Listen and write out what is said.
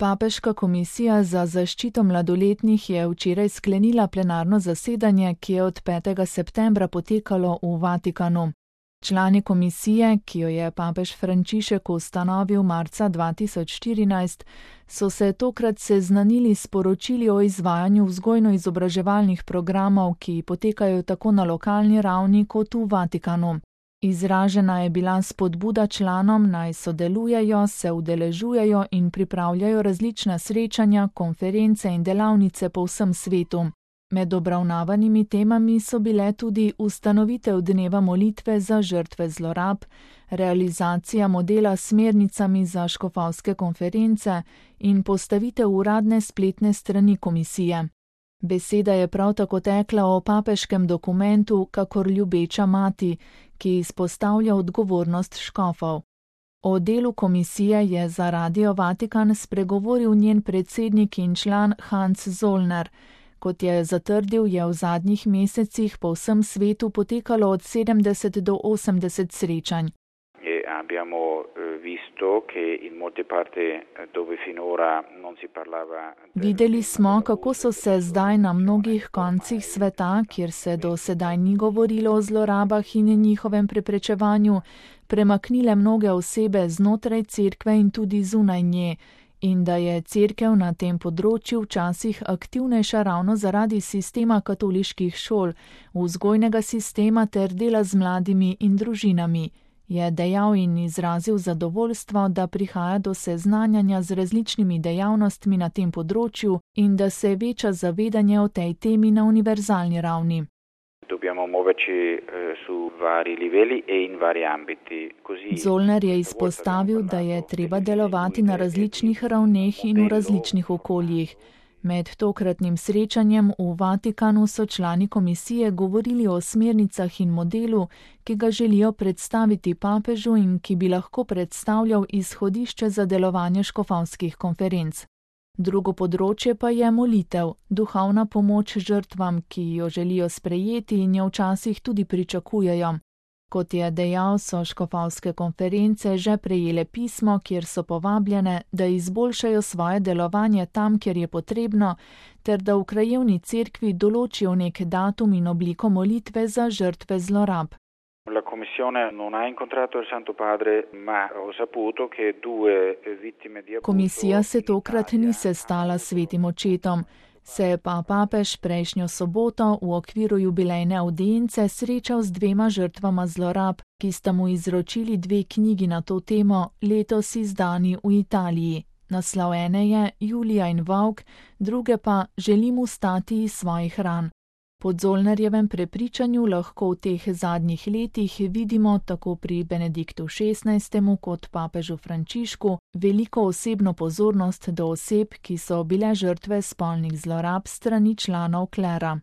Papeška komisija za zaščito mladoletnih je včeraj sklenila plenarno zasedanje, ki je od 5. septembra potekalo v Vatikanu. Člani komisije, ki jo je papež Frančišek ustanovil marca 2014, so se tokrat seznanili s poročili o izvajanju vzgojno-izobraževalnih programov, ki potekajo tako na lokalni ravni kot v Vatikanu. Izražena je bila spodbuda članom, naj sodelujejo, se udeležujejo in pripravljajo različna srečanja, konference in delavnice po vsem svetu. Med obravnavanimi temami so bile tudi ustanovitev dneva molitve za žrtve zlorab, realizacija modela s smernicami za škofovske konference in postavitev uradne spletne strani komisije. Beseda je prav tako tekla o papeškem dokumentu Kakor ljubeča mati, ki izpostavlja odgovornost škofov. O delu komisije je za Radio Vatikan spregovoril njen predsednik in član Hans Zollner. Kot je zatrdil, je v zadnjih mesecih po vsem svetu potekalo od 70 do 80 srečanj. Videli smo, kako so se zdaj na mnogih koncih sveta, kjer se do sedaj ni govorilo o zlorabah in njihovem preprečevanju, premaknile mnoge osebe znotraj cerkve in tudi zunaj nje, in da je cerkev na tem področju včasih aktivnejša ravno zaradi sistema katoliških šol, vzgojnega sistema ter dela z mladimi in družinami. Je dejal in izrazil zadovoljstvo, da prihaja do seznanjanja z različnimi dejavnostmi na tem področju in da se veča zavedanje o tej temi na univerzalni ravni. Zollner je izpostavil, da je treba delovati na različnih ravneh in v različnih okoljih. Med tokratnim srečanjem v Vatikanu so člani komisije govorili o smernicah in modelu, ki ga želijo predstaviti papežu in ki bi lahko predstavljal izhodišče za delovanje škofovskih konferenc. Drugo področje pa je molitev, duhovna pomoč žrtvam, ki jo želijo sprejeti in jo včasih tudi pričakujejo. Kot je dejal, so škofovske konference že prejele pismo, kjer so povabljene, da izboljšajo svoje delovanje tam, kjer je potrebno, ter da v krajevni cerkvi določijo nek datum in obliko molitve za žrtve zlorab. La Commissione non ha incontrato il Santo Padre, ma ho saputo che due vittime di abuso. Komisija se tokrat ni sestala s svetim očetom, se je pa papež prejšnjo soboto v okviru jubilejne avdience srečal z dvema žrtvama zlorab, ki sta mu izročili 2 knjigi na to temo, letos izdani v Italiji. Naslov ene je Julija in Volk, druge pa Želim vstati iz svojih ran. Po Zollnerjevem prepričanju lahko v teh zadnjih letih vidimo tako pri Benediktu XVI. Kot papežu Frančišku veliko osebno pozornost do oseb, ki so bile žrtve spolnih zlorab strani članov klera.